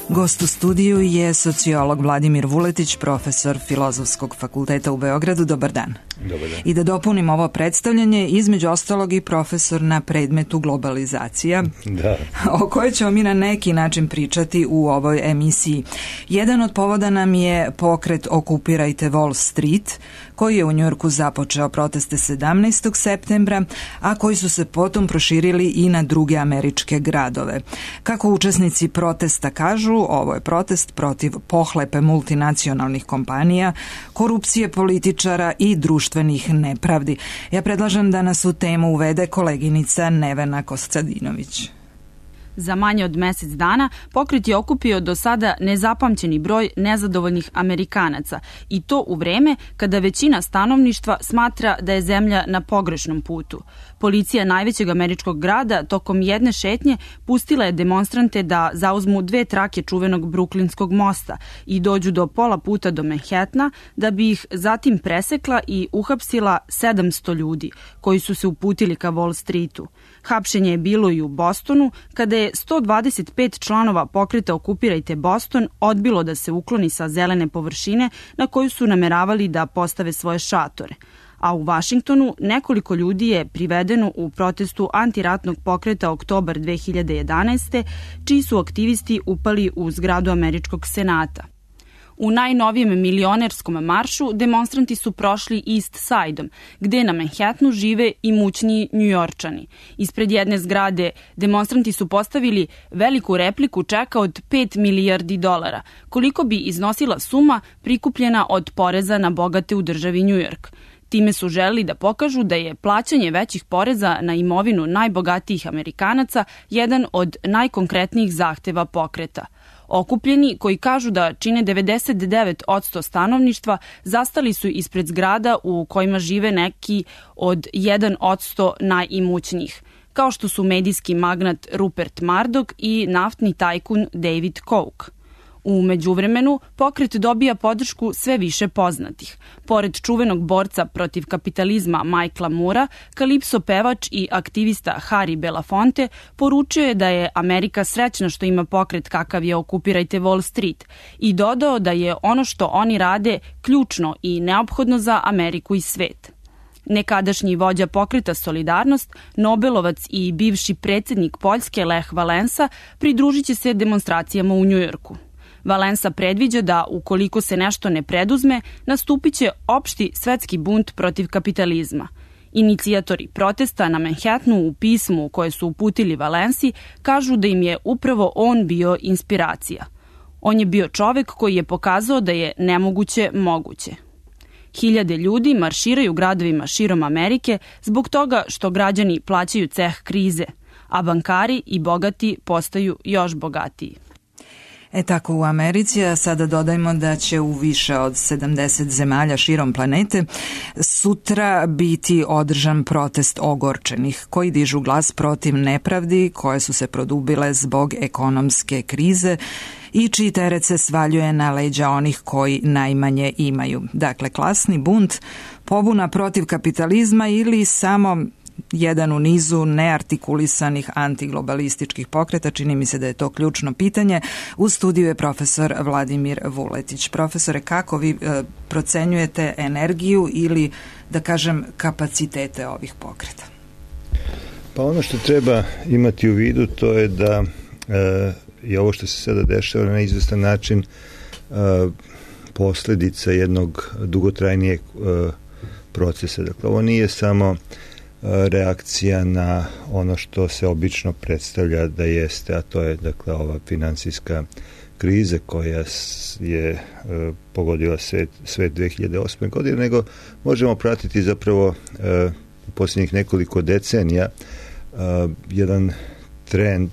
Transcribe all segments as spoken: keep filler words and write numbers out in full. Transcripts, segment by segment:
Gost u studiju je sociolog Vladimir Vuletić, profesor Filozofskog fakulteta u Beogradu. Dobar dan. Dobar dan. I da dopunim ovo predstavljanje, između ostalog i profesor na predmetu globalizacija, da. o kojoj ćemo mi na neki način pričati u ovoj emisiji. Jedan od povoda nam je pokret Okupirajte Wall Street, koji je u Njujorku započeo proteste sedamnaestog septembra, a koji su se potom proširili i na druge američke gradove. Kako učesnici protesta kažu, ovo je protest protiv pohlepe multinacionalnih kompanija, korupcije političara i društvenih nepravdi. Ja predlažem da nas u temu uvede koleginica Nevena Kostadinović. Za manje od mesec dana pokret je okupio do sada nezapamćeni broj nezadovoljnih Amerikanaca i to u vreme kada većina stanovništva smatra da je zemlja na pogrešnom putu. Policija najvećeg američkog grada tokom jedne šetnje pustila je demonstrante da zauzmu dve trake čuvenog Bruklinskog mosta i dođu do pola puta do Manhattana, da bi ih zatim presekla i uhapsila sedamsto ljudi koji su se uputili ka Wall Streetu. Hapšenje je bilo i u Bostonu, kada je sto dvadeset pet članova pokreta Okupirajte Boston odbilo da se ukloni sa zelene površine na koju su nameravali da postave svoje šatore. A u Vašingtonu nekoliko ljudi je privedeno u protestu antiratnog pokreta Oktobar dve hiljade jedanaeste, čiji su aktivisti upali u zgradu Američkog senata. U najnovijem milionerskom maršu demonstranti su prošli East Side-om, gde na Manhattanu žive imućniji Njujorčani. Ispred jedne zgrade demonstranti su postavili veliku repliku čeka od pet milijardi dolara, koliko bi iznosila suma prikupljena od poreza na bogate u državi Njujork. Time su želeli da pokažu da je plaćanje većih poreza na imovinu najbogatijih Amerikanaca jedan od najkonkretnijih zahteva pokreta. Okupljeni, koji kažu da čine devedeset devet posto stanovništva, zastali su ispred zgrada u kojima žive neki od jedan posto najimućnijih, kao što su medijski magnat Rupert Murdoch i naftni tajkun David Koch. U međuvremenu, pokret dobija podršku sve više poznatih. Pored čuvenog borca protiv kapitalizma Michaela Moora, kalipso pevač i aktivista Harry Belafonte poručio je da je Amerika srećna što ima pokret kakav je Okupirajte Wall Street i dodao da je ono što oni rade ključno i neophodno za Ameriku i svet. Nekadašnji vođa pokreta Solidarnost, Nobelovac i bivši predsjednik Poljske Lech Valensa pridružit će se demonstracijama u Njujorku. Valensa predviđa da, ukoliko se nešto ne preduzme, nastupit će opšti svetski bunt protiv kapitalizma. Inicijatori protesta na Manhattanu u pismu koje su uputili Valensi kažu da im je upravo on bio inspiracija. On je bio čovek koji je pokazao da je nemoguće moguće. Hiljade ljudi marširaju gradovima širom Amerike zbog toga što građani plaćaju ceh krize, a bankari i bogati postaju još bogatiji. E tako u Americi, a sada dodajmo da će u više od sedamdeset zemalja širom planete sutra biti održan protest ogorčenih koji dižu glas protiv nepravdi koje su se produbile zbog ekonomske krize i čiji teret se svaljuje na leđa onih koji najmanje imaju. Dakle, klasni bunt, pobuna protiv kapitalizma ili samo jedan u nizu neartikulisanih antiglobalističkih pokreta. Čini mi se da je to ključno pitanje. U studiju je profesor Vladimir Vuletić. Profesore, kako vi e, procenjujete energiju ili, da kažem, kapacitete ovih pokreta? Pa ono što treba imati u vidu to je da e, je ovo što se sada dešava na izvestan način e, posledica jednog dugotrajnijeg e, procesa. Dakle, ovo nije samo reakcija na ono što se obično predstavlja da jeste, a to je dakle ova finansijska kriza koja je e, pogodila svet, svet dve hiljade osme. godine, nego možemo pratiti zapravo e, u posljednjih nekoliko decenija e, jedan trend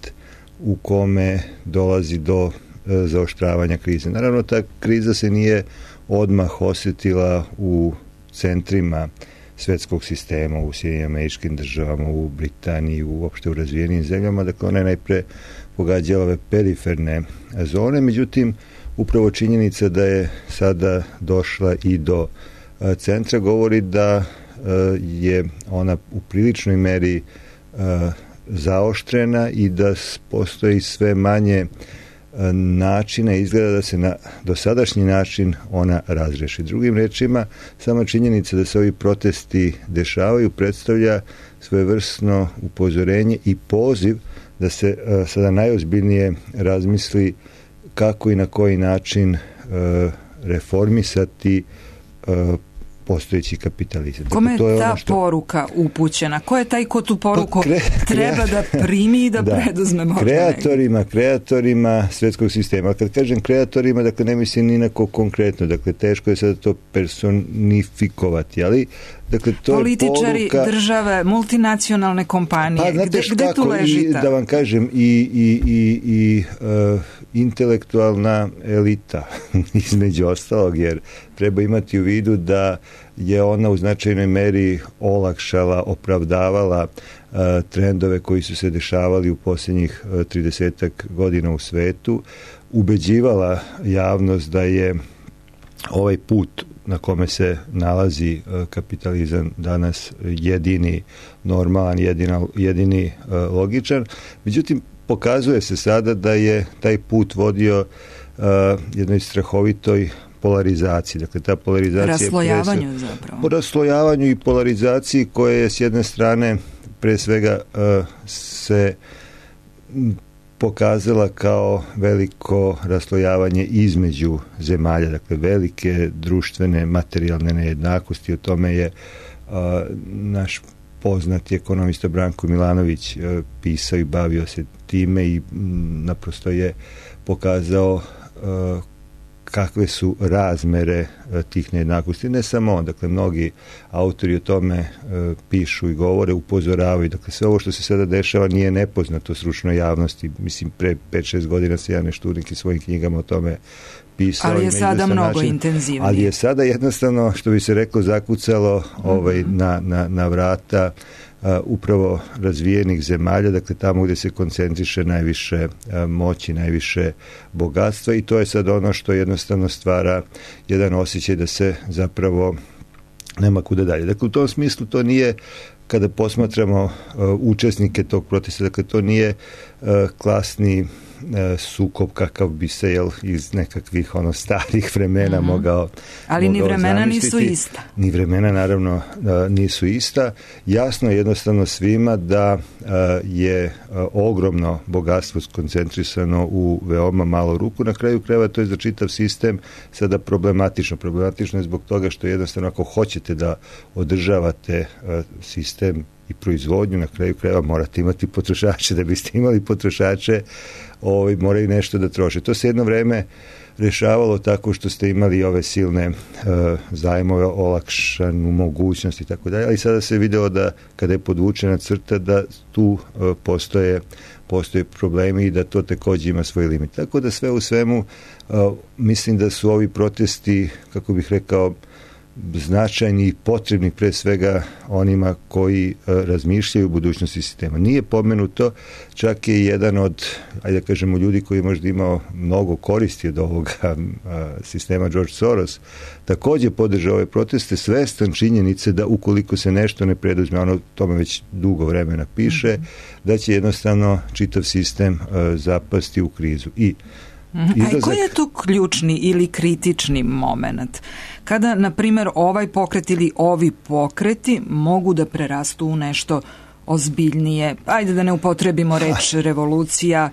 u kome dolazi do e, zaoštravanja krize. Naravno, ta kriza se nije odmah osjetila u centrima svetskog sistema, u Sjedinjenim Američkim Državama, u Britaniji, uopšte u razvijenim zemljama, dakle ona je najpre pogađala ove periferne zone, međutim upravo činjenica da je sada došla i do centra govori da je ona u priličnoj meri zaoštrena i da postoji sve manje načina izgleda da se na dosadašnji način ona razreši. Drugim rečima, sama činjenica da se ovi protesti dešavaju predstavlja svojevrsno upozorenje i poziv da se sada najozbiljnije razmisli kako i na koji način reformisati postojeći kapitalizam. Kome je dakle, ta što... poruka upućena? Ko je taj ko tu poruku pa, kre... treba da primi i da, da. preduzme možda kreatorima, nekako? kreatorima svetskog sistema. Kad kažem kreatorima, dakle ne mislim ni na ko konkretno, dakle teško je sada to personifikovati, ali dakle, to političari, je poruka... države, multinacionalne kompanije. Pa, znate gde, gde tu leži ta? Da vam kažem, i, i, i, i uh, intelektualna elita, između ostalog, jer treba imati u vidu da je ona u značajnoj meri olakšala, opravdavala uh, trendove koji su se dešavali u posljednjih uh, tridesetak godina u svetu, ubeđivala javnost da je ovaj put na kome se nalazi kapitalizam danas jedini normalan, jedina, jedini uh, logičan. Međutim, pokazuje se sada da je taj put vodio uh, jednoj strahovitoj polarizaciji. Dakle, ta polarizacija... Raslojavanju pre, zapravo. Raslojavanju i polarizaciji koje je s jedne strane pre svega uh, se pokazala kao veliko raslojavanje između zemalja, dakle velike društvene materijalne nejednakosti. O tome je uh, naš poznati ekonomista Branko Milanović uh, pisao i bavio se time i m, naprosto je pokazao uh, kakve su razmere uh, tih nejednakosti. Ne samo on, dakle mnogi autori o tome uh, pišu i govore, upozoravaju. Dakle, sve ovo što se sada dešava nije nepoznato stručnoj javnosti. Mislim, pre pet šest godina se ja nešto u svojim knjigama o tome pisao. Ali je sada mnogo način, intenzivnije. Ali je sada jednostavno, što bi se reklo, zakucalo mm-hmm. ovaj, na, na, na vrata Uh, upravo razvijenih zemalja, dakle tamo gdje se koncentriše najviše uh, moći, najviše bogatstva, i to je sad ono što jednostavno stvara jedan osjećaj da se zapravo nema kuda dalje. Dakle, u tom smislu to nije, kada posmatramo uh, učesnike tog protesta, dakle to nije uh, klasni sukob kakav bi se jel, iz nekakvih ono starih vremena mm-hmm. mogao ali mogao ni vremena zamisliti. Nisu ista. Ni vremena naravno nisu ista. Jasno je jednostavno svima da je ogromno bogatstvo skoncentrisano u veoma malo ruku. Na kraju krajeva to je za čitav sistem sada problematično. Problematično je zbog toga što jednostavno ako hoćete da održavate sistem i proizvodnju, na kraju krajeva morate imati potrošače. Da biste imali potrošače, ovaj, moraju nešto da troše. To se jedno vreme rešavalo tako što ste imali ove silne uh, zajmove, olakšanu mogućnost i tako dalje, ali sada se videlo da kada je podvučena crta da tu uh, postoje, postoje problemi i da to takođe ima svoj limit. Tako da sve u svemu uh, mislim da su ovi protesti, kako bih rekao, značajni i potrebni pre svega onima koji uh, razmišljaju o budućnosti sistema. Nije pomenuto, čak je jedan od, ajde da kažemo, ljudi koji je možda imao mnogo koristi od ovoga uh, sistema, George Soros, takođe podržao ove proteste, svestan činjenice da ukoliko se nešto ne preduzme, ono tome već dugo vremena piše, mm-hmm. da će jednostavno čitav sistem uh, zapasti u krizu. I Izlazak... A koji je tu ključni ili kritični moment? Kada, na primjer, ovaj pokret ili ovi pokreti mogu da prerastu u nešto ozbiljnije, ajde da ne upotrebimo reč revolucija,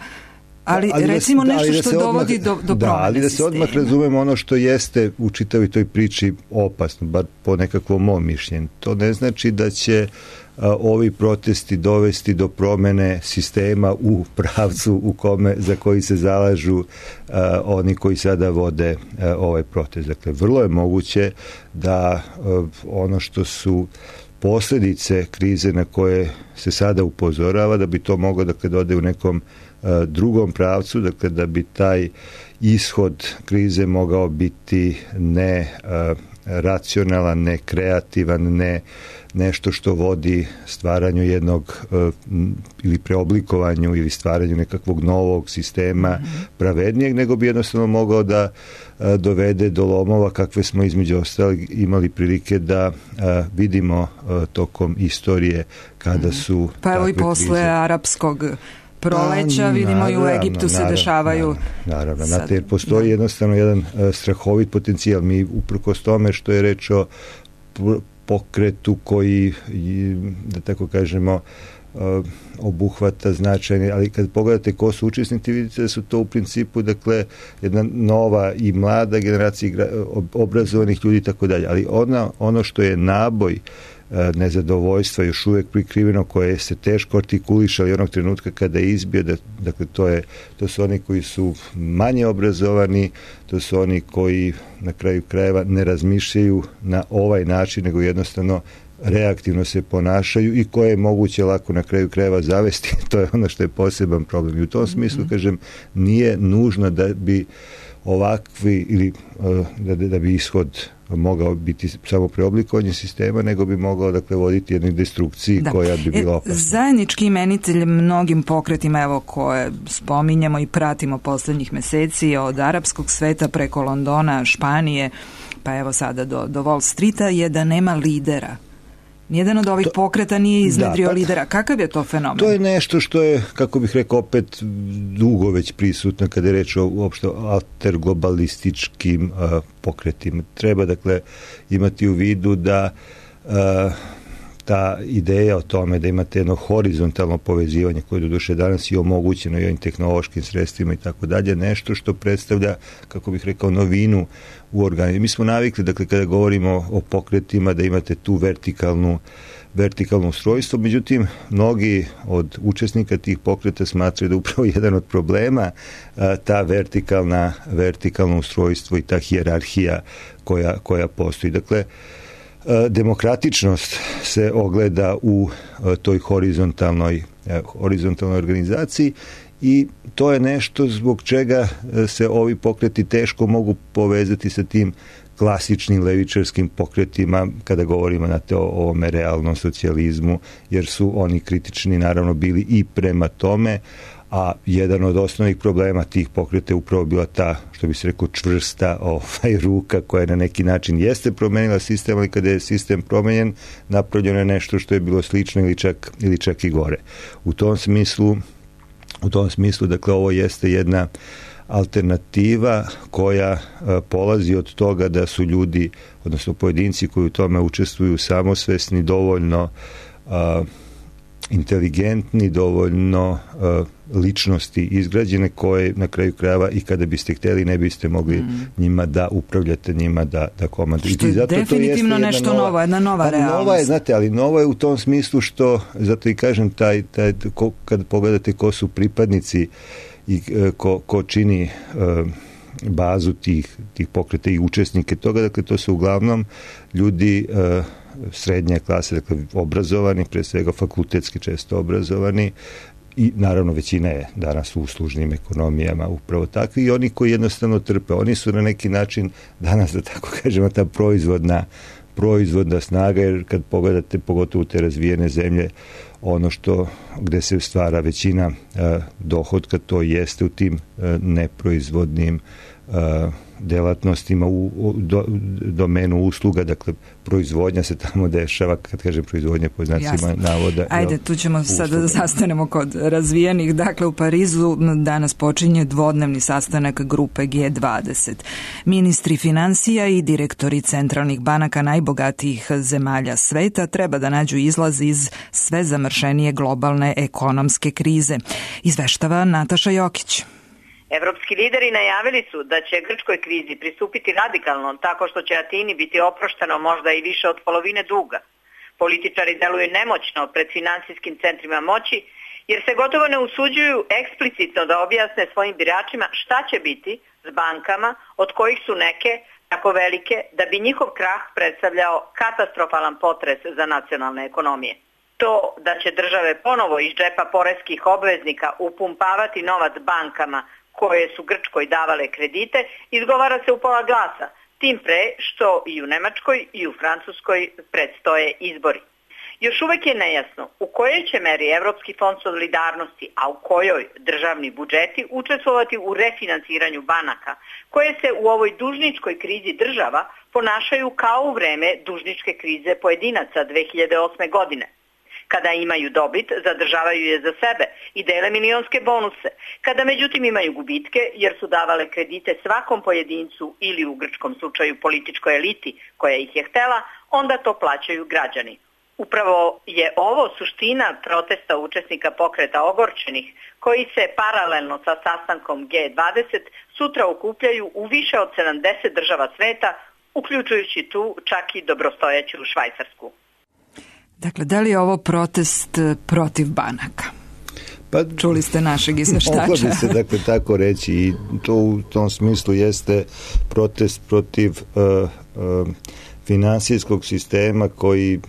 ali, ali recimo da, nešto ali da što dovodi odmah, do, do da, promene ali da se sistema. odmah razumemo ono što jeste u čitavoj toj priči opasno, bar po nekakvom mom mišljenju. To ne znači da će a, ovi protesti dovesti do promene sistema u pravcu u kome, za koji se zalažu a, oni koji sada vode a, ovaj protest. Dakle, vrlo je moguće da a, ono što su posljedice krize na koje se sada upozorava, da bi to moglo dakle, da ode u nekom a, drugom pravcu, dakle da bi taj ishod krize mogao biti ne a, racionalan, ne kreativan, ne nešto što vodi stvaranju jednog uh, ili preoblikovanju ili stvaranju nekakvog novog sistema mm-hmm. pravednijeg, nego bi jednostavno mogao da uh, dovede do lomova kakve smo između ostalih imali prilike da uh, vidimo uh, tokom istorije kada mm-hmm. su pa evo i posle krize. arapskog proleća, pa, vidimo naravno, i u Egiptu se naravno, dešavaju. Naravno, naravno. Znate, jer postoji da. jednostavno jedan uh, strahovit potencijal. Mi uprkos tome što je reč o pokretu koji, da tako kažemo, obuhvata značajne, ali kad pogledate ko su učesnici, vidite da su to u principu, dakle, jedna nova i mlada generacija obrazovanih ljudi i tako dalje, ali ona, ono što je naboj nezadovoljstva još uvijek prikriveno, koje se teško artikulišali onog trenutka kada je izbio, da, dakle to, je, to su oni koji su manje obrazovani, to su oni koji na kraju krajeva ne razmišljaju na ovaj način, nego jednostavno reaktivno se ponašaju i koje je moguće lako na kraju krajeva zavesti. To je ono što je poseban problem. I u tom smislu, kažem, nije nužno da bi ovakvi ili da, da bi ishod mogao biti samo preoblikovanje sistema, nego bi mogao, dakle, voditi jednoj destrukciji da. koja bi bila opasna. Zajednički imenitelj mnogim pokretima, evo, koje spominjemo i pratimo poslednjih meseci, od arapskog sveta preko Londona, Španije, pa evo sada do, do Wall Streeta, je da nema lidera. Nijedan od ovih to, pokreta nije iznedrio da, pa, lidera. Kakav je to fenomen? To je nešto što je, kako bih rekao, opet dugo već prisutno kada je reč o uopšte alterglobalističkim uh, pokretima. Treba, dakle, imati u vidu da uh, ta ideja o tome da imate jedno horizontalno povezivanje koje do duše danas i omogućeno i ovim tehnološkim sredstvima i tako dalje, nešto što predstavlja, kako bih rekao, novinu u organizmu. Mi smo navikli, dakle, kada govorimo o pokretima, da imate tu vertikalnu vertikalno ustrojstvo, međutim, mnogi od učesnika tih pokreta smatraju da upravo jedan od problema a, ta vertikalna, vertikalno ustrojstvo i ta hijerarhija koja, koja postoji. Dakle, demokratičnost se ogleda u toj horizontalnoj, horizontalnoj organizaciji i to je nešto zbog čega se ovi pokreti teško mogu povezati sa tim klasičnim levičarskim pokretima kada govorimo na te o ovome realnom socijalizmu, jer su oni kritični naravno bili i prema tome, a jedan od osnovnih problema tih pokreta je upravo bila ta, što bi se rekao, čvrsta ovaj, ruka koja na neki način jeste promenila sistem, ali kada je sistem promenjen, napravljeno je nešto što je bilo slično ili čak, ili čak i gore. U tom smislu, u tom smislu, dakle, ovo jeste jedna alternativa koja a, polazi od toga da su ljudi, odnosno pojedinci koji u tome učestvuju, samosvesni, dovoljno a, inteligentni, dovoljno uh, ličnosti izgrađene koje na kraju krajeva i kada biste hteli ne biste mogli mm. njima da upravljate, njima da, da komandujete. Što je zato definitivno to nešto nova, novo, jedna nova realnost. Nova je, znate, ali novo je u tom smislu što, zato i kažem, taj, taj, ko, kad pogledate ko su pripadnici i ko, ko čini uh, bazu tih, tih pokreta i učesnike toga, dakle to su uglavnom ljudi uh, srednje klase, dakle obrazovani, pre svega fakultetski često obrazovani i naravno većina je danas u uslužnim ekonomijama upravo takvi i oni koji jednostavno trpe. Oni su na neki način danas, da tako kažemo, ta proizvodna proizvodna snaga, jer kad pogledate pogotovo te razvijene zemlje, ono što gde se stvara većina uh, dohodka, to jeste u tim uh, neproizvodnim uh, delatnostima u, u do, domenu usluga, dakle proizvodnja se tamo dešava, kad kažem proizvodnja po znacima navoda. Ajde, tu ćemo sad da sastanemo kod razvijenih. Dakle, u Parizu danas počinje dvodnevni sastanak grupe G dvadeset. Ministri financija i direktori centralnih banaka najbogatijih zemalja sveta treba da nađu izlaz iz sve zamršenije globalne ekonomske krize. Izveštava Nataša Jokić. Evropski lideri najavili su da će grčkoj krizi pristupiti radikalno, tako što će Atini biti oprošteno možda i više od polovine duga. Političari deluju nemoćno pred finansijskim centrima moći, jer se gotovo ne usuđuju eksplicitno da objasne svojim biračima šta će biti s bankama, od kojih su neke tako velike da bi njihov krah predstavljao katastrofalan potres za nacionalne ekonomije. To da će države ponovo iz džepa poreskih obveznika upumpavati novac bankama koje su Grčkoj davale kredite, izgovara se u pola glasa, tim pre što i u Nemačkoj i u Francuskoj predstoje izbori. Još uvek je nejasno u kojoj će meri Evropski fond solidarnosti, a u kojoj državni budžeti učestvovati u refinansiranju banaka, koje se u ovoj dužničkoj krizi država ponašaju kao u vreme dužničke krize pojedinaca dve hiljade osme godine. Kada imaju dobit, zadržavaju je za sebe i dele milionske bonuse. Kada međutim imaju gubitke, jer su davale kredite svakom pojedincu ili u grčkom slučaju političkoj eliti koja ih je htela, onda to plaćaju građani. Upravo je ovo suština protesta učesnika pokreta ogorčenih, koji se paralelno sa sastankom G dvadeset sutra okupljaju u više od sedamdeset država sveta, uključujući tu čak i dobrostojeću Švajcarsku. Dakle, da li je ovo protest protiv banaka? Pa, čuli ste našeg izveštača. Moglo bi se dakle tako reći i to u tom smislu jeste protest protiv uh, uh, finansijskog sistema koji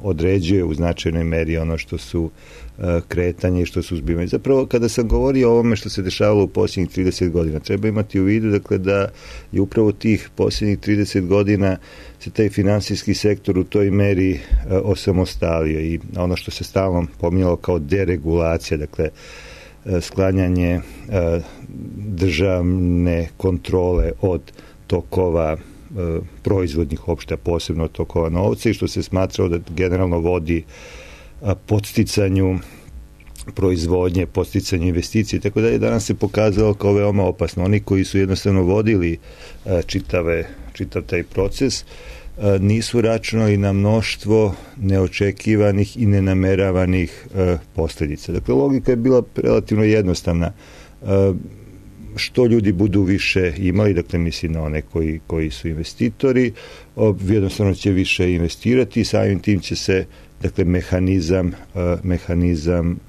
određuje u značajnoj meri ono što su uh, kretanje i što su zbivanje. Zapravo, kada sam govorio o ovome što se dešavalo u posljednjih trideset godina, treba imati u vidu dakle, da je upravo tih posljednjih trideset godina se taj finansijski sektor u toj meri uh, osamostalio i ono što se stalno pominjalo kao deregulacija, dakle, uh, sklanjanje uh, državne kontrole od tokova proizvodnih opšta, posebno od tokova novca i što se smatrao da generalno vodi podsticanju proizvodnje, podsticanju investicije, tako da je danas se pokazalo kao veoma opasno. Oni koji su jednostavno vodili čitave, čitav taj proces nisu računali na mnoštvo neočekivanih i nenameravanih posljedica. Dakle, logika je bila relativno jednostavna. Što ljudi budu više imali, dakle mislim na one koji, koji su investitori, jednostavno će više investirati i samim tim će se dakle mehanizam, mehanizam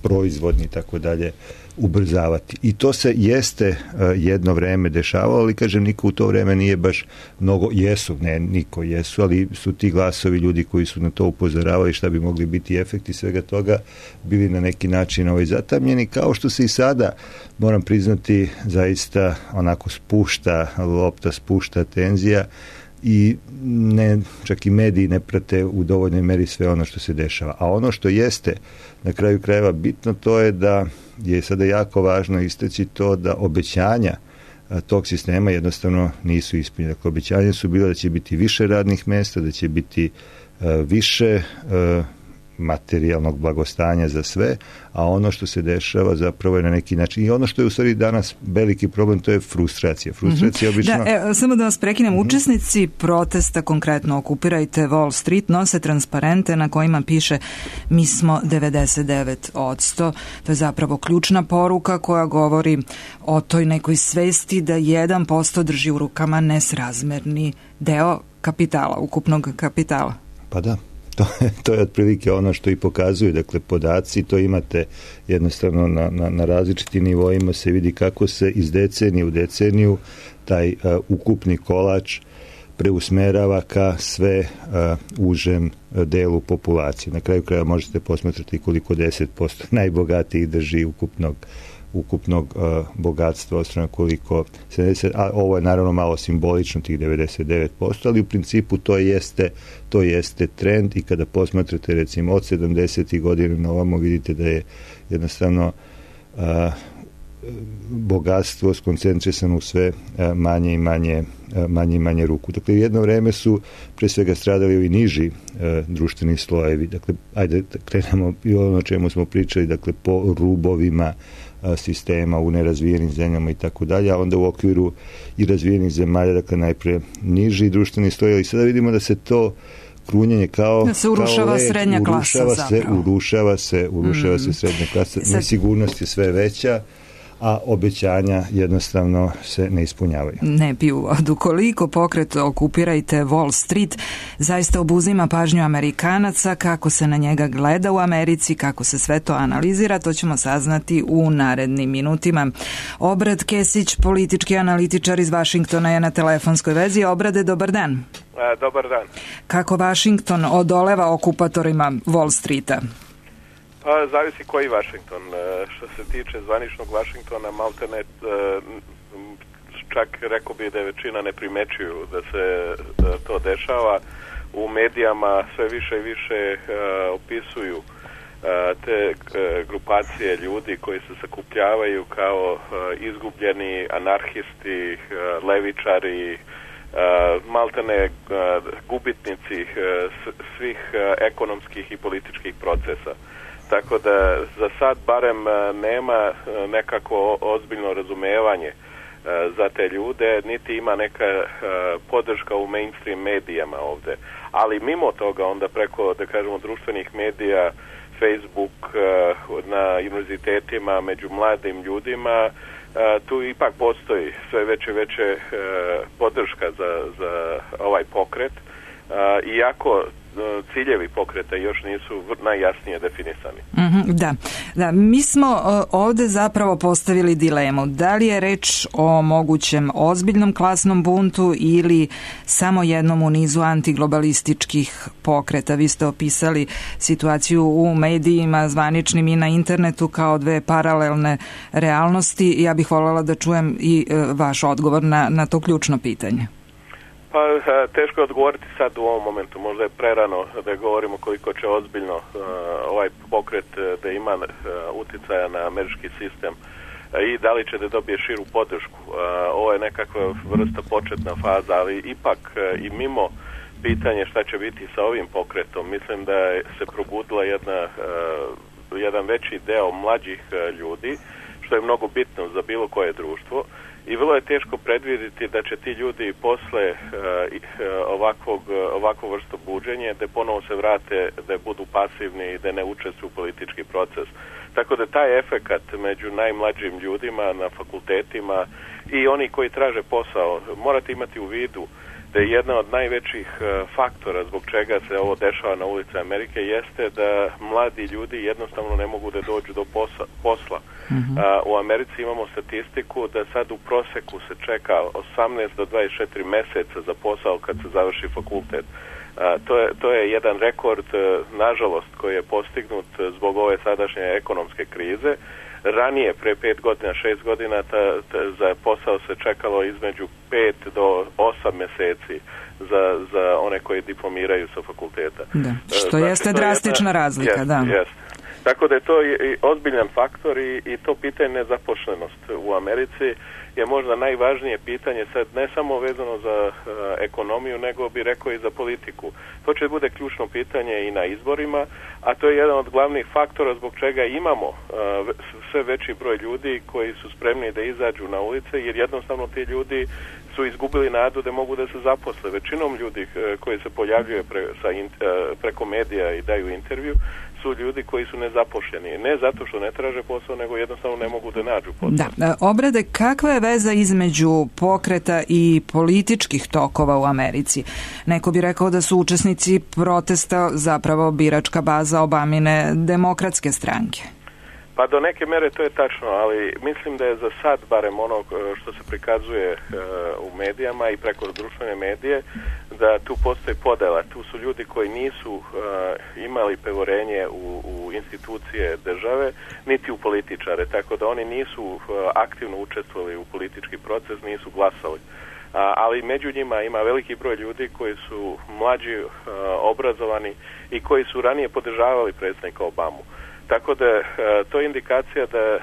proizvodni tako dalje ubrzavati. I to se jeste jedno vreme dešavalo, ali kažem, niko u to vreme nije baš mnogo, jesu, ne niko jesu, ali su ti glasovi ljudi koji su na to upozoravali šta bi mogli biti efekti svega toga, bili na neki način ovaj zatamljeni, kao što se i sada, moram priznati, zaista onako spušta lopta, spušta tenzija i ne, čak i mediji ne prate u dovoljnoj meri sve ono što se dešava. A ono što jeste na kraju krajeva bitno, to je da je sada jako važno istaći to da obećanja tog sistema jednostavno nisu ispunjene. Dakle, obećanja su bila da će biti više radnih mesta, da će biti uh, više uh, materijalnog blagostanja za sve, a ono što se dešava zapravo je na neki način i ono što je u stvari danas veliki problem, to je frustracija. Frustracija mm-hmm. obično... Da, e, samo da vas prekinem, mm-hmm. učesnici protesta, konkretno Okupirajte Wall Street, nose transparente na kojima piše mi smo devedeset devet odsto. To je zapravo ključna poruka koja govori o toj nekoj svesti da jedan posto drži u rukama nesrazmerni deo kapitala, ukupnog kapitala. Pa da. To je, to je otprilike ono što i pokazuju, dakle, podaci, to imate jednostavno na, na, na različitim nivoima se vidi kako se iz decenije u deceniju taj uh, ukupni kolač preusmerava ka sve uh, užem uh, delu populacije. Na kraju kraja možete posmatrati koliko deset posto najbogatijih drži ukupnog ukupnog uh, bogatstva, ostane koliko sedamdeset, a ovo je naravno malo simbolično tih devedeset devet posto, ali u principu to jeste, to jeste trend i kada posmatrate recimo od sedamdesetih godina na ovamo vidite da je jednostavno uh, bogatstvo skoncentrisano u sve uh, manje i manje, uh, manje i manje ruku. Dakle, jedno vreme su pre svega stradali ovi niži uh, društveni slojevi. Dakle, ajde da krenemo i ono o čemu smo pričali, dakle, po rubovima sistema u nerazvijenim zemljama i tako dalje, a onda u okviru i razvijenih zemalja, dakle najpre niži društveni sloj, i sada vidimo da se to krunjenje kao da se urušava kao led, srednja klasa urušava se, urušava se, urušava mm. se srednja klasa, Sad... nesigurnost je sve veća, a obećanja jednostavno se ne ispunjavaju. Ne piju vodu. Koliko pokret Okupirajte Wall Street zaista obuzima pažnju Amerikanaca, kako se na njega gleda u Americi, kako se sve to analizira, to ćemo saznati u narednim minutima. Obrad Kesić, politički analitičar iz Vašingtona, je na telefonskoj vezi. Obrade, dobar dan. A, dobar dan. Kako Vašington odoleva okupatorima Wall Streeta? Pa, zavisi koji Vašington. Što se tiče zvaničnog Vašingtona, maltene čak rekao bi da je većina ne primećuju da se to dešava. U medijama sve više i više opisuju te grupacije ljudi koji se sakupljavaju kao izgubljeni anarhisti, levičari, maltene gubitnici svih ekonomskih i političkih procesa. Tako da za sad barem nema nekako ozbiljno razumevanje za te ljude, niti ima neka podrška u mainstream medijama ovde. Ali mimo toga onda preko, da kažemo, društvenih medija, Facebook, na univerzitetima, među mladim ljudima, tu ipak postoji sve veće veće podrška za, za ovaj pokret, iako ciljevi pokreta još nisu najjasnije definisani. Mm-hmm, da, da, mi smo ovde zapravo postavili dilemu. Da li je reč o mogućem ozbiljnom klasnom buntu ili samo jednom u nizu antiglobalističkih pokreta? Vi ste opisali situaciju u medijima, zvaničnim i na internetu kao dve paralelne realnosti. Ja bih voljela da čujem i vaš odgovor na, na to ključno pitanje. Pa teško je odgovoriti sad u ovom momentu, možda je prerano da govorimo koliko će ozbiljno uh, ovaj pokret da ima uh, uticaja na američki sistem uh, i da li će da dobije širu podršku. Uh, ovo je nekakva vrsta početna faza, ali ipak uh, i mimo pitanje šta će biti sa ovim pokretom, mislim da se probudila jedna, uh, jedan veći deo mlađih uh, ljudi, što je mnogo bitno za bilo koje društvo. I vrlo je teško predvidjeti da će ti ljudi posle uh, ovakvog, ovakvo vrsto buđenja da ponovo se vrate, da budu pasivni i da ne učestvuju u politički proces. Tako da taj efekat među najmlađim ljudima na fakultetima i oni koji traže posao, morate imati u vidu da je jedna od najvećih uh, faktora zbog čega se ovo dešava na ulici Amerike jeste da mladi ljudi jednostavno ne mogu da dođu do posa, posla. Mm-hmm. Uh, u Americi imamo statistiku da sad u proseku se čeka osamnaest do dvadeset četiri meseca za posao kad se završi fakultet. Uh, to, je, to je jedan rekord, uh, nažalost, koji je postignut zbog ove sadašnje ekonomske krize. Ranije, pre pet godina, šest godina, ta, ta, za posao se čekalo između pet do osam meseci za, za one koji diplomiraju sa fakulteta. Da, što znači, jeste drastična jedna razlika, jest, da. Jest. Tako da je to i ozbiljan faktor i, i to pitanje nezaposlenost u Americi je možda najvažnije pitanje sad ne samo vezano za uh, ekonomiju, nego bi rekao i za politiku. To će bude ključno pitanje i na izborima, a to je jedan od glavnih faktora zbog čega imamo uh, sve veći broj ljudi koji su spremni da izađu na ulice, jer jednostavno ti ljudi su izgubili nadu da mogu da se zaposle. Većinom ljudi uh, koji se pojavljuje pre, sa in, uh, preko medija i daju intervju su ljudi koji su nezaposleni. Ne zato što ne traže posao, nego jednostavno ne mogu da nađu posao. Da. Obrade, kakva je veza između pokreta i političkih tokova u Americi? Neko bi rekao da su učesnici protesta zapravo biračka baza Obamine demokratske stranke. Pa do neke mere to je tačno, ali mislim da je za sad, barem ono što se prikazuje uh, u medijama i preko društvene medije, da tu postoji podela. Tu su ljudi koji nisu uh, imali poverenje u, u institucije države, niti u političare, tako da oni nisu uh, aktivno učestvovali u politički proces, nisu glasali. Uh, ali među njima ima veliki broj ljudi koji su mlađi, uh, obrazovani i koji su ranije podržavali predsjednika Obamu. Tako da uh, to je indikacija da uh,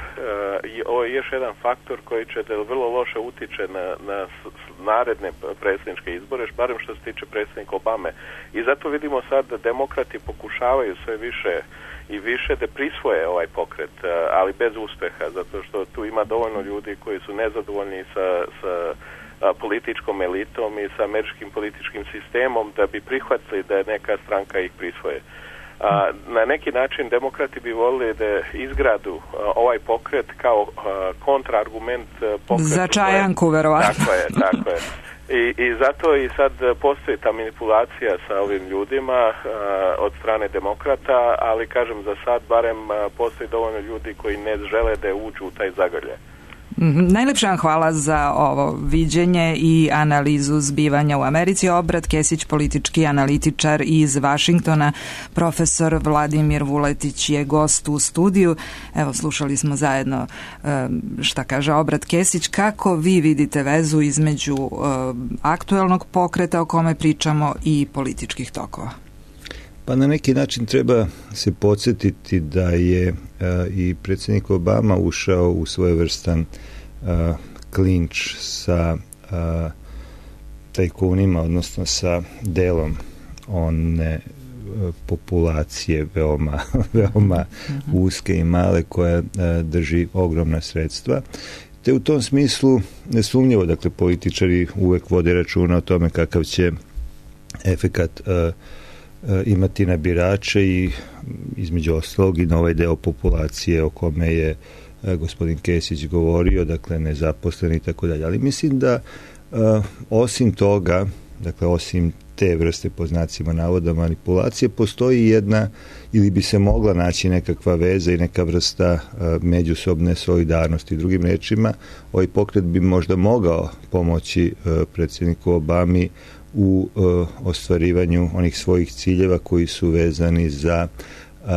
ovo je još jedan faktor koji će da vrlo loše utiče na, na naredne predsjedničke izbore, barem što se tiče predsjednika Obame. I zato vidimo sad da demokrati pokušavaju sve više i više da prisvoje ovaj pokret, uh, ali bez uspeha, zato što tu ima dovoljno ljudi koji su nezadovoljni sa, sa uh, političkom elitom i sa američkim političkim sistemom da bi prihvatili da neka stranka ih prisvoje. A, na neki način demokrati bi volili da izgradu a, ovaj pokret kao a, kontraargument pokretu. Za Čajanku, verovatno. Tako je, tako je. I, I zato i sad postoji ta manipulacija sa ovim ljudima a, od strane demokrata, ali kažem za sad barem a, postoji dovoljno ljudi koji ne žele da uđu u taj zagrljaj. Najlepša vam hvala za ovo viđenje i analizu zbivanja u Americi. Obrat Kesić, politički analitičar iz Vašingtona, profesor Vladimir Vuletić je gost u studiju. Evo, slušali smo zajedno šta kaže Obrat Kesić. Kako vi vidite vezu između aktuelnog pokreta o kome pričamo i političkih tokova? Pa na neki način treba se podsjetiti da je uh, i predsjednik Obama ušao u svojevrstan uh, klinč sa uh, tajkunima, odnosno sa delom one populacije veoma, veoma uske i male koja drži ogromna sredstva. Te u tom smislu nesumnjivo, dakle, političari uvek vode računa o tome kakav će efekat uh, uh, imati na birače i između ostalog i na ovaj deo populacije o kome je uh, gospodin Kesić govorio, dakle, nezaposleni i tako dalje. Ali mislim da uh, osim toga, dakle, osim te vrste po znacima navoda manipulacije, postoji jedna ili bi se mogla naći nekakva veza i neka vrsta uh, međusobne solidarnosti. Drugim rečima, ovaj pokret bi možda mogao pomoći uh, predsjedniku Obami u uh, ostvarivanju onih svojih ciljeva koji su vezani za uh,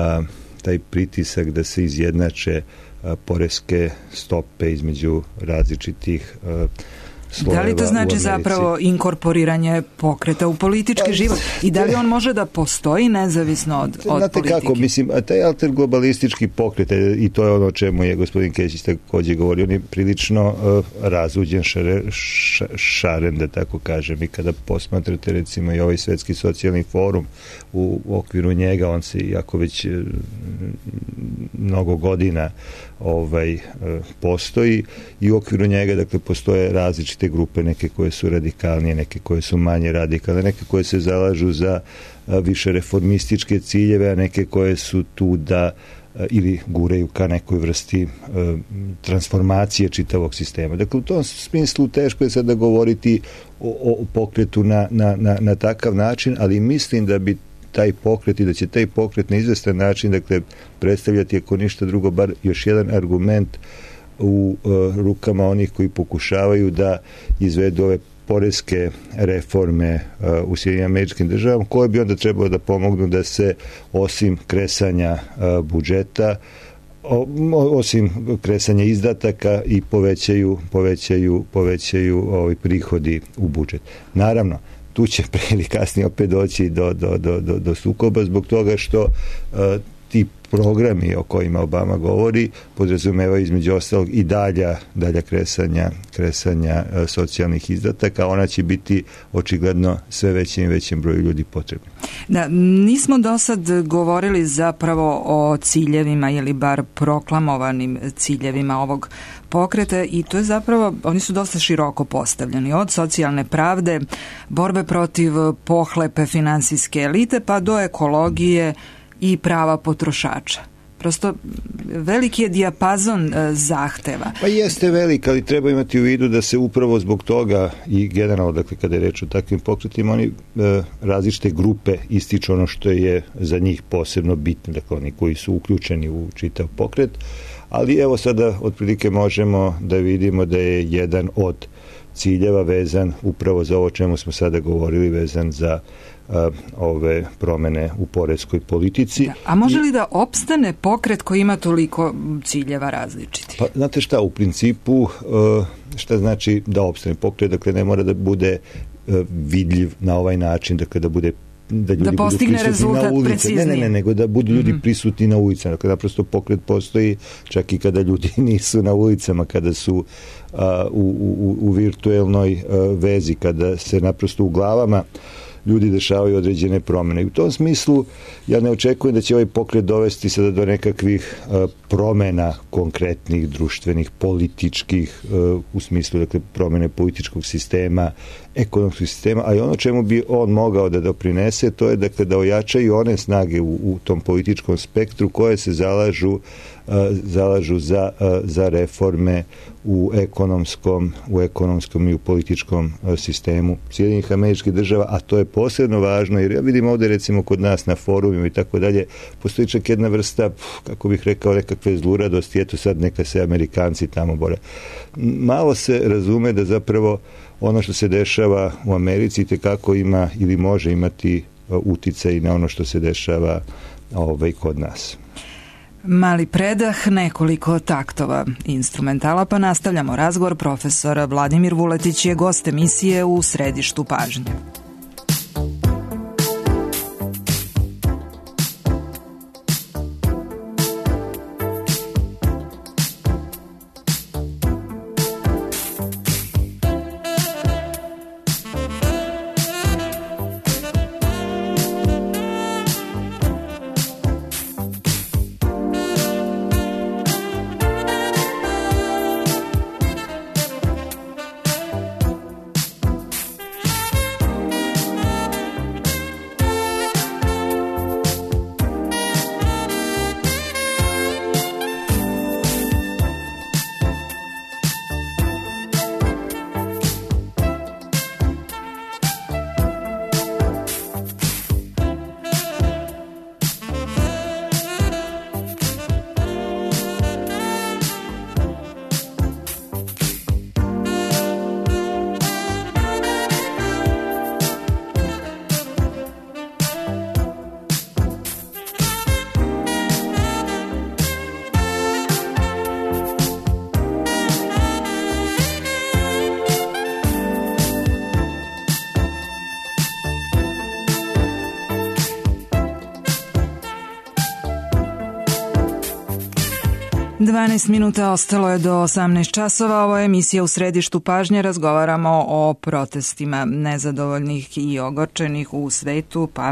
taj pritisak da se izjednače uh, poreske stope između različitih uh, Da li to znači zapravo inkorporiranje pokreta u politički pa, život? I da li on može da postoji nezavisno od, od znate politike? Kako, mislim, a taj alterglobalistički pokret, i to je ono o čemu je gospodin Kesić također govorio, on je prilično uh, razuđen šare, ša, šaren, da tako kažem, i kada posmatrate recimo i ovaj Svetski socijalni forum u, u okviru njega, on se, iako već uh, mnogo godina ovaj, uh, postoji, i u okviru njega, dakle, postoje različite grupe, neke koje su radikalnije, neke koje su manje radikalne, neke koje se zalažu za a, više reformističke ciljeve, a neke koje su tu da a, ili guraju ka nekoj vrsti a, transformacije čitavog sistema. Dakle, u tom smislu teško je sada govoriti o, o pokretu na, na, na, na takav način, ali mislim da bi taj pokret i da će taj pokret na izvestan način, dakle, predstavljati, ako ništa drugo, bar još jedan argument u uh, rukama onih koji pokušavaju da izvedu ove poreske reforme uh, u Sjedinjenim Američkim Državama, koje bi onda trebalo da pomognu da se osim kresanja uh, budžeta, o, osim kresanja izdataka i povećaju, povećaju, povećaju ovi prihodi u budžet. Naravno, tu će pre ili kasnije opet doći do, do, do, do, do sukoba zbog toga što uh, ti programi o kojima Obama govori podrazumevaju između ostalog i dalja, dalja kresanja, kresanja uh, socijalnih izdataka. Ona će biti očigledno sve većim i većim broju ljudi potrebni. Da, nismo do sad govorili zapravo o ciljevima ili bar proklamovanim ciljevima ovog pokreta i to je zapravo, oni su dosta široko postavljeni, od socijalne pravde, borbe protiv pohlepe finansijske elite pa do ekologije i prava potrošača. Prosto veliki je dijapazon e, zahteva. Pa jeste velik, ali treba imati u vidu da se upravo zbog toga i generalno, dakle, kada je reč o takvim pokretima, oni e, različite grupe ističu ono što je za njih posebno bitno, dakle, oni koji su uključeni u čitav pokret, ali evo sada otprilike možemo da vidimo da je jedan od ciljeva vezan upravo za ovo čemu smo sada govorili, vezan za uh, ove promene u poreskoj politici. Da. A može li da opstane pokret koji ima toliko ciljeva različitih? Pa, znate šta, u principu uh, šta znači da opstane pokret, dakle ne mora da bude uh, vidljiv na ovaj način, dakle da bude da ljudi da postigne budu rezultat na ulici. preciznije. Ne, ne, ne, nego da budu ljudi mm-hmm. prisutni na ulicama. Dakle, naprosto pokret postoji čak i kada ljudi nisu na ulicama, kada su a, u, u, u virtuelnoj a, vezi, kada se naprosto u glavama ljudi dešavaju određene promene. I u tom smislu ja ne očekujem da će ovaj pokret dovesti sada do nekakvih uh, promena konkretnih, društvenih, političkih, uh, u smislu, dakle, promene političkog sistema, ekonomskog sistema, a i ono čemu bi on mogao da doprinese, to je, dakle, da ojačaju one snage u, u tom političkom spektru koje se zalažu, uh, zalažu za, uh, za reforme u ekonomskom, u ekonomskom i u političkom uh, sistemu Sjedinjenih Američkih Država, a to je posebno važno, jer ja vidim ovde recimo kod nas na forumima i tako dalje, postoji čak jedna vrsta, kako bih rekao, nekakve zluradosti, eto sad neka se Amerikanci tamo bore. Malo se razume da zapravo ono što se dešava u Americi tekako ima ili može imati uticaj na ono što se dešava ovaj, kod nas. Mali predah, nekoliko taktova instrumentala, pa nastavljamo razgovor. Profesor Vladimir Vuletić je gost emisije U središtu pažnje. dvanaest minuta ostalo je do osamnaest časova. Ovo je emisija U središtu pažnje. Razgovaramo o protestima nezadovoljnih i ogorčenih u svetu, pa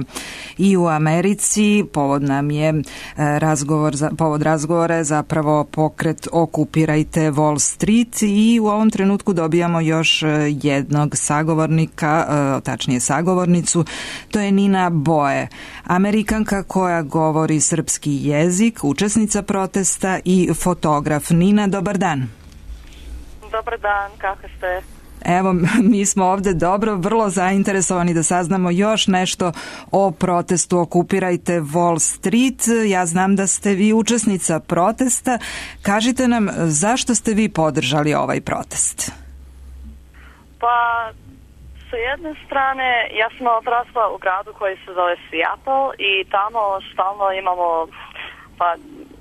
i u Americi. Povod nam je razgovor, povod razgovora je zapravo pokret Okupirajte Wall Street i u ovom trenutku dobijamo još jednog sagovornika, tačnije sagovornicu. To je Nina Boe, Amerikanka koja govori srpski jezik, učesnica protesta i fotograf. Nina, dobar dan. Dobar dan, kako ste? Evo, mi smo ovde dobro, vrlo zainteresovani da saznamo još nešto o protestu Okupirajte Wall Street. Ja znam da ste vi učesnica protesta. Kažite nam, zašto ste vi podržali ovaj protest? Pa, sa jedne strane, ja sam odrasla u gradu koji se zove Seattle i tamo stalno imamo, pa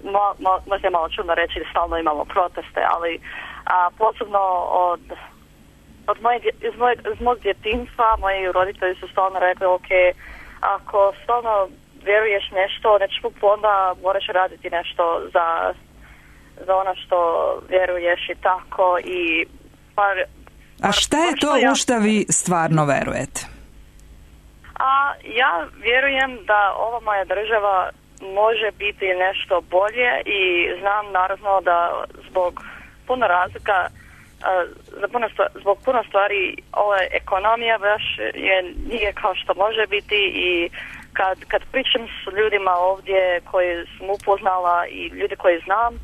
mo, mo, možda je malo čudno reći da stalno imamo proteste, ali a, posebno od, od moje, iz, moje, iz mog djetinjstva moji roditelji su stalno rekli, ok, ako stalno vjeruješ nešto, nečemu, onda moraš raditi nešto za, za ono što vjeruješ i tako i par, A šta je to u šta vi stvarno verujete? A ja vjerujem da ova moja država može biti nešto bolje i znam naravno da zbog puno razlika, za puno stvari, zbog puno stvari ova ekonomija baš je, nije kao što može biti i kad, kad pričam s ljudima ovdje koji sam upoznala i ljudi koji znam,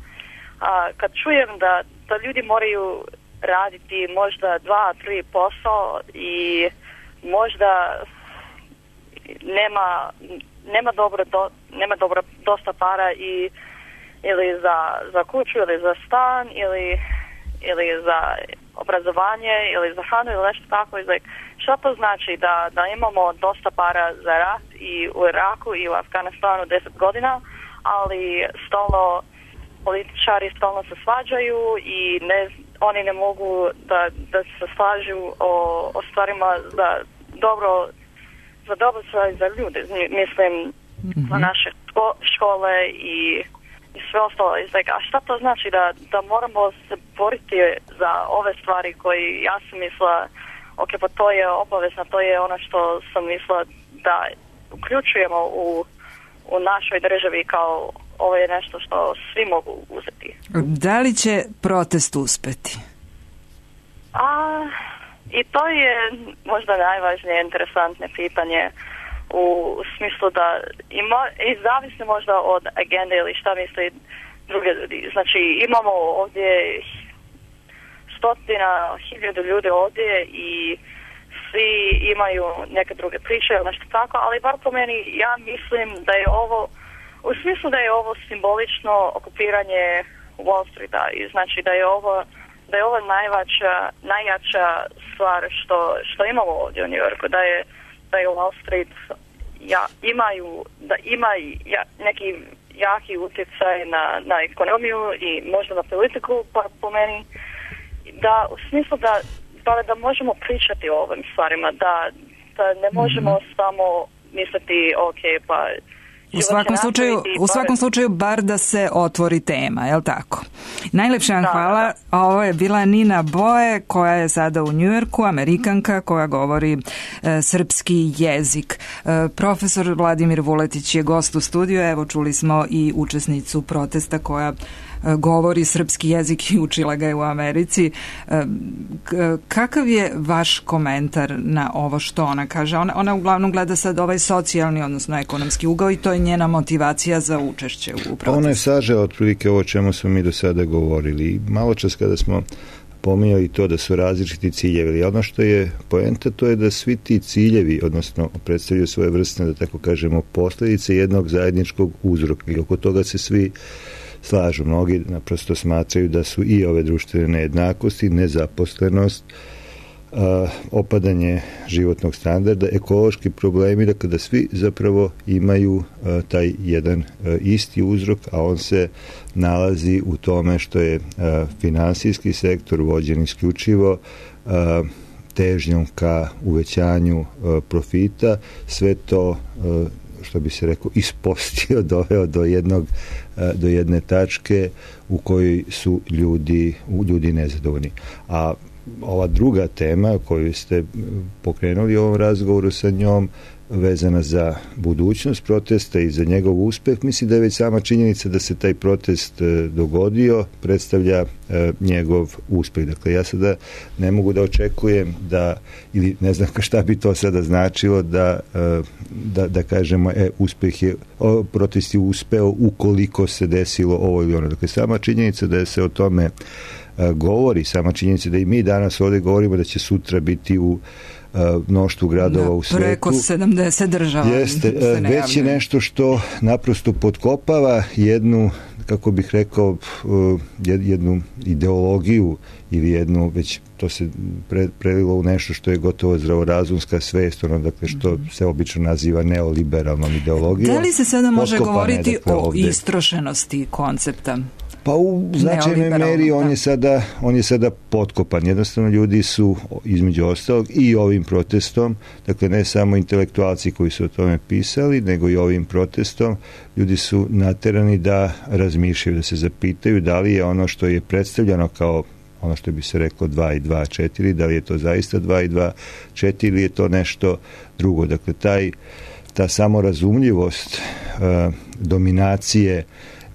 a, kad čujem da, da ljudi moraju raditi možda dva, tri posao i možda nema nema dobro do, nema dobro dosta para i ili za, za kuću ili za stan ili ili za obrazovanje ili za hranu ili nešto tako. Like, šta to znači da, da imamo dosta para za rat i u Iraku i u Afganistanu deset godina, ali stalno političari stalno se svađaju i ne, oni ne mogu da, da se slažu o, o stvarima za dobro za dobro stvari za ljude. Mislim, mm-hmm. za naše škole i, i sve ostalo. Like, a šta to znači da, da moramo se boriti za ove stvari koje ja sam mislila, ok, pa to je obavezno, to je ono što sam mislila da uključujemo u, u našoj državi kao ovo je nešto što svi mogu uzeti. Da li će protest uspeti? A, i to je možda najvažnije interesantne pitanje u, u smislu da i, mo, i zavisno možda od agende ili šta misli druge ljudi. Znači imamo ovdje stotina, hiljadu ljudi ovdje i svi imaju neke druge priče ili nešto tako, ali bar po meni ja mislim da je ovo u smislu da je ovo simbolično okupiranje Wall Streeta i znači da je ovo da je ovo najvača, najjača stvar što, što imamo ovdje u New Yorku, da je, da je Wall Street ja, imaju, da ima ja, neki jaki utjecaj na, na ekonomiju i možda na politiku pa po meni, da u smislu da, da, da možemo pričati o ovim stvarima, da, da ne možemo mm-hmm. samo misliti ok, pa U svakom slučaju, u svakom slučaju bar da se otvori tema, je li tako? Najlepša vam hvala. Ovo je bila Nina Boe koja je sada u Njujorku, Amerikanka koja govori e, srpski jezik. E, profesor Vladimir Vuletić je gost u studiju, evo čuli smo i učesnicu protesta koja govori srpski jezik i učila ga je u Americi. Kakav je vaš komentar na ovo što ona kaže? Ona, ona uglavnom gleda sad ovaj socijalni, odnosno ekonomski ugao i to je njena motivacija za učešće u protestu. Ona je sažela otprilike ovo čemu smo mi do sada govorili. Malo čas kada smo pominjali to da su različiti ciljevi, ali ono što je poenta to je da svi ti ciljevi, odnosno predstavljaju svoje vrste, da tako kažemo, posljedice jednog zajedničkog uzroka i oko toga se svi slažu. Mnogi naprosto smatraju da su i ove društvene nejednakosti, nezaposlenost, opadanje životnog standarda, ekološki problemi, dakle da svi zapravo imaju taj jedan isti uzrok, a on se nalazi u tome što je finansijski sektor vođen isključivo težnjom ka uvećanju profita, sve to što bi se rekao, ispostio, doveo do jednog, do jedne tačke u kojoj su ljudi, ljudi nezadovoljni. A ova druga tema koju ste pokrenuli u ovom razgovoru sa njom, vezana za budućnost protesta i za njegov uspeh, mislim da je već sama činjenica da se taj protest dogodio predstavlja njegov uspeh. Dakle, ja sada ne mogu da očekujem da, ili ne znam šta bi to sada značilo, da, da, da kažemo, e, uspeh je, o, protest je uspeo ukoliko se desilo ovo ili ono. Dakle, sama činjenica da se o tome govori, sama činjenica da i mi danas ovdje govorimo da će sutra biti u mnoštvu gradova u svetu. Preko sedamdeset država. Jeste, već je nešto što naprosto potkopava jednu, kako bih rekao, jednu ideologiju ili jednu, već to se pre, prelilo u nešto što je gotovo zdravorazumska svest, ono, dakle, što se obično naziva neoliberalnom ideologijom. Da li se sada može Potkopane, govoriti dakle, o ovdje istrošenosti koncepta? Pa u značajnoj meri on je sada on je sada potkopan. Jednostavno ljudi su između ostalog i ovim protestom, dakle ne samo intelektualci koji su o tome pisali, nego i ovim protestom ljudi su naterani da razmišljaju, da se zapitaju da li je ono što je predstavljeno kao ono što bi se reklo dva i dva četiri, da li je to zaista dva i dva četiri ili je to nešto drugo. Dakle, taj, ta samorazumljivost uh, dominacije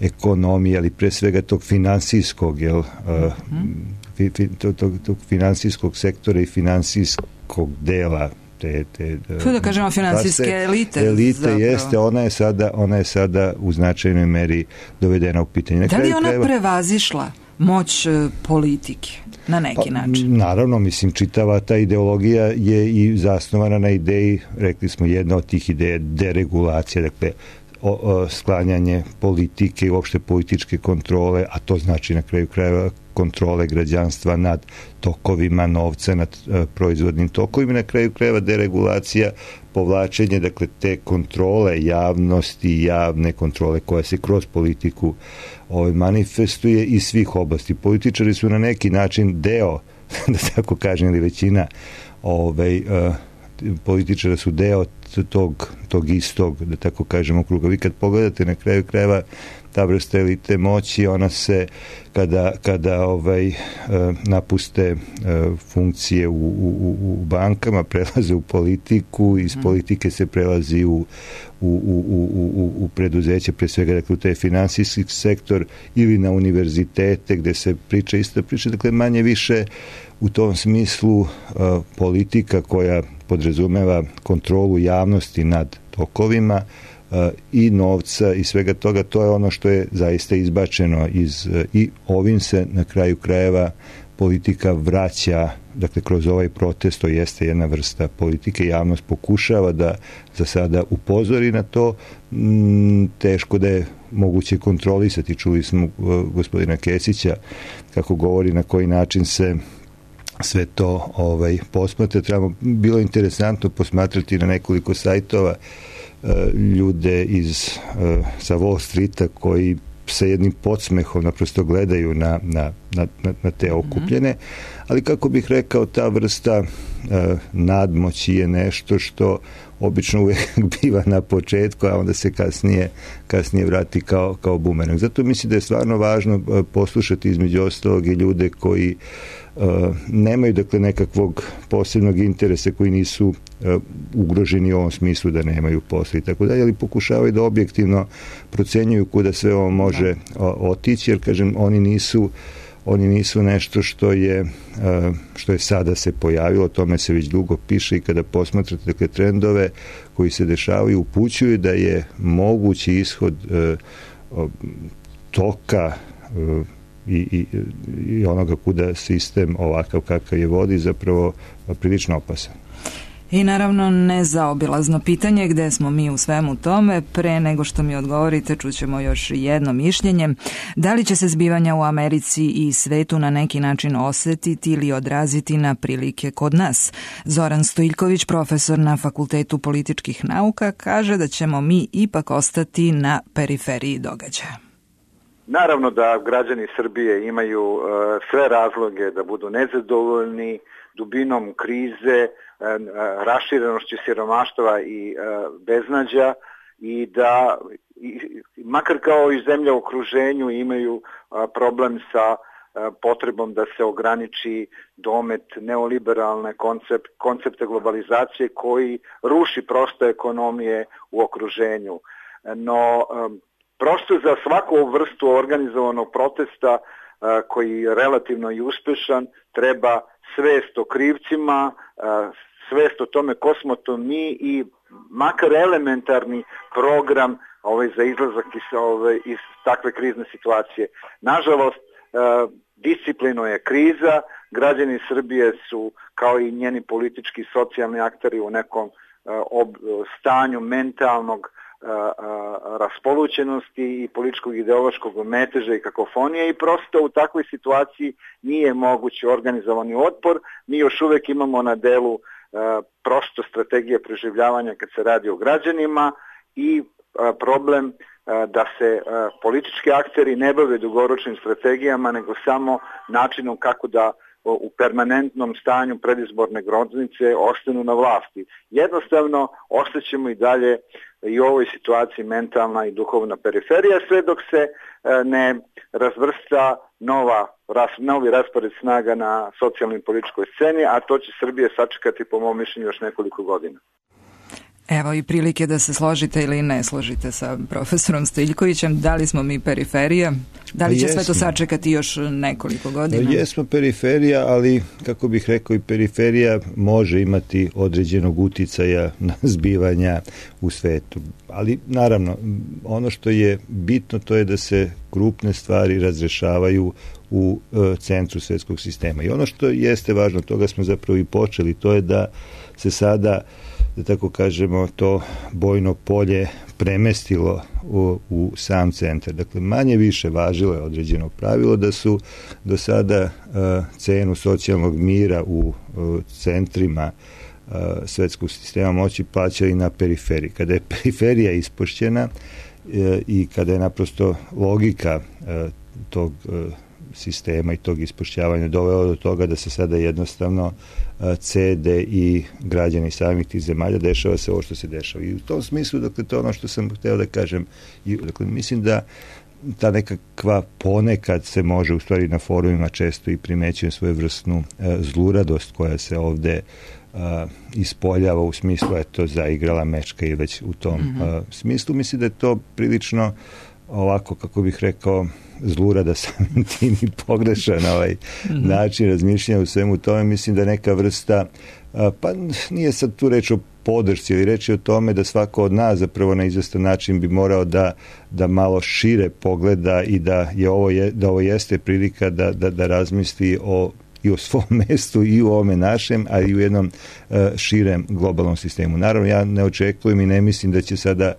ekonomije, ali pre svega tog finansijskog, jel, mm-hmm. uh, tog, tog, tog finansijskog sektora i finansijskog dela te, te to da kažemo finansijske elite. Elite zapravo. Jeste, ona je sada, ona je sada u značajnoj meri dovedena u pitanje. Na da li ona kraju, prevazišla moć politike na neki pa, način? Naravno, mislim, čitava ta ideologija je i zasnovana na ideji, rekli smo, jedna od tih ideja deregulacija, dakle O, o, sklanjanje politike i uopšte političke kontrole, a to znači na kraju krajeva kontrole građanstva nad tokovima novca, nad uh, proizvodnim tokovima, na kraju krajeva deregulacija, povlačenje, dakle, te kontrole javnosti, javne kontrole koja se kroz politiku ovaj, manifestuje iz svih oblasti. Političari su na neki način deo, da tako kažem, ili većina ovaj, uh, političara su deo tog, tog istog, da tako kažemo, kruga. Vi kad pogledate na kraju krajeva ta vrsta elite moći, ona se kada, kada ovaj, napuste funkcije u, u, u bankama, prelaze u politiku, iz politike se prelazi u, u, u, u, u preduzeće, pre svega, dakle, u taj finansijski sektor ili na univerzitete gde se priča isto priča, dakle, manje više u tom smislu uh, politika koja podrazumeva kontrolu javnosti nad tokovima uh, i novca i svega toga, to je ono što je zaista izbačeno iz, uh, i ovim se na kraju krajeva politika vraća, dakle kroz ovaj protest, to jeste jedna vrsta politike, javnost pokušava da za sada upozori na to, mm, teško da je moguće kontrolisati. Čuli smo uh, gospodina Kesića kako govori na koji način se sve to ovaj, posmatra. Trebamo, bilo je interesantno posmatrati na nekoliko sajtova uh, ljude iz, uh, sa Wall Streeta koji sa jednim podsmehom naprosto gledaju na, na, na, na te okupljene, ali kako bih rekao, ta vrsta uh, nadmoći je nešto što obično uvijek biva na početku, a onda se kasnije, kasnije vrati kao, kao bumerang. Zato mislim da je stvarno važno uh, poslušati između ostalog i ljude koji Uh, nemaju, dakle, nekakvog posebnog interesa, koji nisu uh, ugroženi u ovom smislu da nemaju posla i tako dalje, ali pokušavaju da objektivno procenjuju kuda sve ovo može o, otići, jer, kažem, oni nisu oni nisu nešto što je uh, što je sada se pojavilo, o tome se već dugo piše i kada posmatrate, dakle, trendove koji se dešavaju, upućuju da je mogući ishod uh, toka uh, I, i, i onoga kuda sistem ovakav kakav je vodi zapravo prilično opasan. I naravno nezaobilazno pitanje gde smo mi u svemu tome. Pre nego što mi odgovorite, čućemo još jedno mišljenje. Da li će se zbivanja u Americi i svetu na neki način osetiti ili odraziti na prilike kod nas? Zoran Stojiljković, profesor na Fakultetu političkih nauka, kaže da ćemo mi ipak ostati na periferiji događaja. Naravno da građani Srbije imaju uh, sve razloge da budu nezadovoljni dubinom krize, uh, raširenošću siromaštva i uh, beznađa i da i, makar kao i zemlja u okruženju imaju a, problem sa a, potrebom da se ograniči domet neoliberalne koncept, koncepte globalizacije koji ruši prosto ekonomije u okruženju. No, a, prosto za svaku vrstu organizovanog protesta a, koji je relativno i uspešan treba svest o krivcima, a, svest o tome ko smo to mi i makar elementarni program ovaj, za izlazak iz, ovaj, iz takve krizne situacije. Nažalost, uh, disciplino je kriza, građani Srbije su kao i njeni politički i socijalni akteri u nekom uh, ob, stanju mentalnog uh, uh, raspolućenosti i političkog ideološkog meteža i kakofonije i prosto u takvoj situaciji nije moguć organizovani otpor. Mi još uvek imamo na delu prosto strategije preživljavanja kad se radi o građanima i problem da se politički akteri ne bave dugoročnim strategijama, nego samo načinom kako da u permanentnom stanju predizborne groznice ostanu na vlasti. Jednostavno, ostaćemo i dalje i u ovoj situaciji mentalna i duhovna periferija, sve dok se ne razvrsta nova, novi raspored snaga na socijalnoj i političkoj sceni, a to će Srbije sačekati po mom mišljenju još nekoliko godina. Evo i prilike da se složite ili ne složite sa profesorom Stiljkovićem. Da li smo mi periferija? Da li će sve to sačekati još nekoliko godina? Jesmo periferija, ali kako bih rekao i periferija može imati određenog uticaja na zbivanja u svetu. Ali naravno, ono što je bitno to je da se krupne stvari razrešavaju u e, centru svetskog sistema. I ono što jeste važno, toga smo zapravo i počeli, to je da se sada, da tako kažemo, to bojno polje premestilo u, u sam centar. Dakle, manje više važilo je određeno pravilo da su do sada uh, cenu socijalnog mira u uh, centrima uh, svetskog sistema moći plaćali na periferiji. Kada je periferija ispošćena uh, i kada je naprosto logika uh, tog uh, sistema i tog ispošćavanja doveo do toga da se sada jednostavno cede i građani samih tih zemalja, dešava se ovo što se dešava. I u tom smislu, dakle, to je ono što sam hteo da kažem. I, dakle, mislim da ta nekakva ponekad se može, u stvari na forumima često i primećujem svoju vrstnu e, zluradost koja se ovde e, ispoljava u smislu, eto, zaigrala mečka i već u tom mm-hmm. e, smislu. Mislim da je to prilično ovako, kako bih rekao, zlurada samim tim i pogrešan ovaj mm-hmm. način razmišljanja u svemu tome. Mislim da neka vrsta, pa nije sad tu reč o podršci, ili reč je o tome da svako od nas zapravo na izvestan način bi morao da, da malo šire pogleda i da, je ovo, je, da ovo jeste prilika da, da, da razmisli o i o svom mestu i u ovome našem, a i u jednom uh, širem globalnom sistemu. Naravno, ja ne očekujem i ne mislim da će sada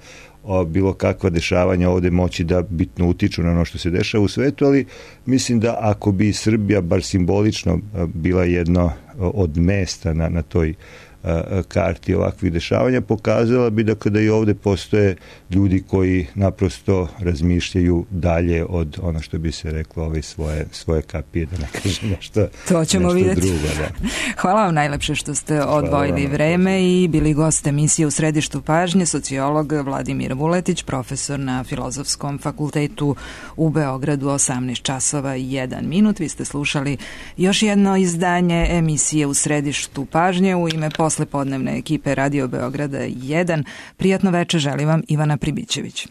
o bilo kakva dešavanja ovde moći da bitno utiču na ono što se dešava u svetu, ali mislim da ako bi Srbija bar simbolično bila jedno od mesta na, na toj karti ovakvih dešavanja, pokazala bi da kada i ovde postoje ljudi koji naprosto razmišljaju dalje od ono što bi se reklo ove svoje, svoje kapije, da ne kažem nešto, to ćemo nešto vidjeti. drugo. Da. Hvala vam najlepše što ste odvojili vreme i bili gost emisije U središtu pažnje, sociolog Vladimir Vuletić, profesor na Filozofskom fakultetu u Beogradu, osamnaest časova i jedan minut. Vi ste slušali još jedno izdanje emisije U središtu pažnje u ime poslepodnevne ekipe Radio Beograda jedan. Prijatno veče želi vam Ivana Pribićević.